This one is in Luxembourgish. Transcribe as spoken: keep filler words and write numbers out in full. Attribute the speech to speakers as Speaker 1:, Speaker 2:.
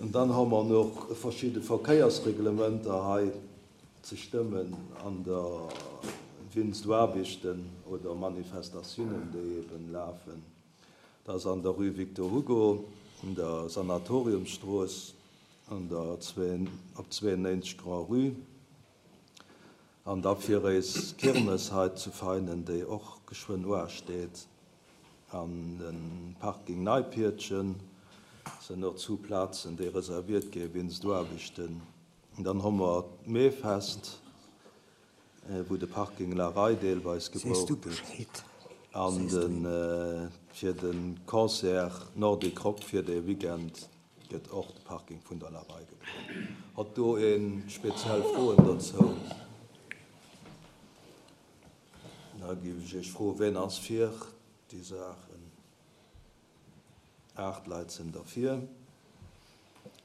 Speaker 1: An dann hu mer nach verschidde Verkéiersreglementer hei ze stëmmen an der wéinst Aarbechten oder Manifestatiounen, déi eben lafen. Dat ass an der Rue Victor Hugo, an der Sanatoriumstrooss, an der op zwéiennéinzeg Grand-Rue an da fir eis Kirmes hei zu Veinen, déi och geschwënn uasteet, an de Parking Neipiertchen sinn och zwou Plazen, déi reserviert gi wéinst Aarbechten. Dann hu mer d'Meefest, wou de Parking La Rei deelweis
Speaker 2: Sees du
Speaker 1: gebraucht gëtt.
Speaker 2: Bescheed?
Speaker 1: An
Speaker 2: Sees du
Speaker 1: de fir de Concert Nordic Rock fir de Weekend gëtt och de Parking vun der La Rei gebraucht. Hutt do ee speziell Froen dozou? Da géif ech Iech froen, wien ass fir déi Saachen? Aacht Leit sinn derfir.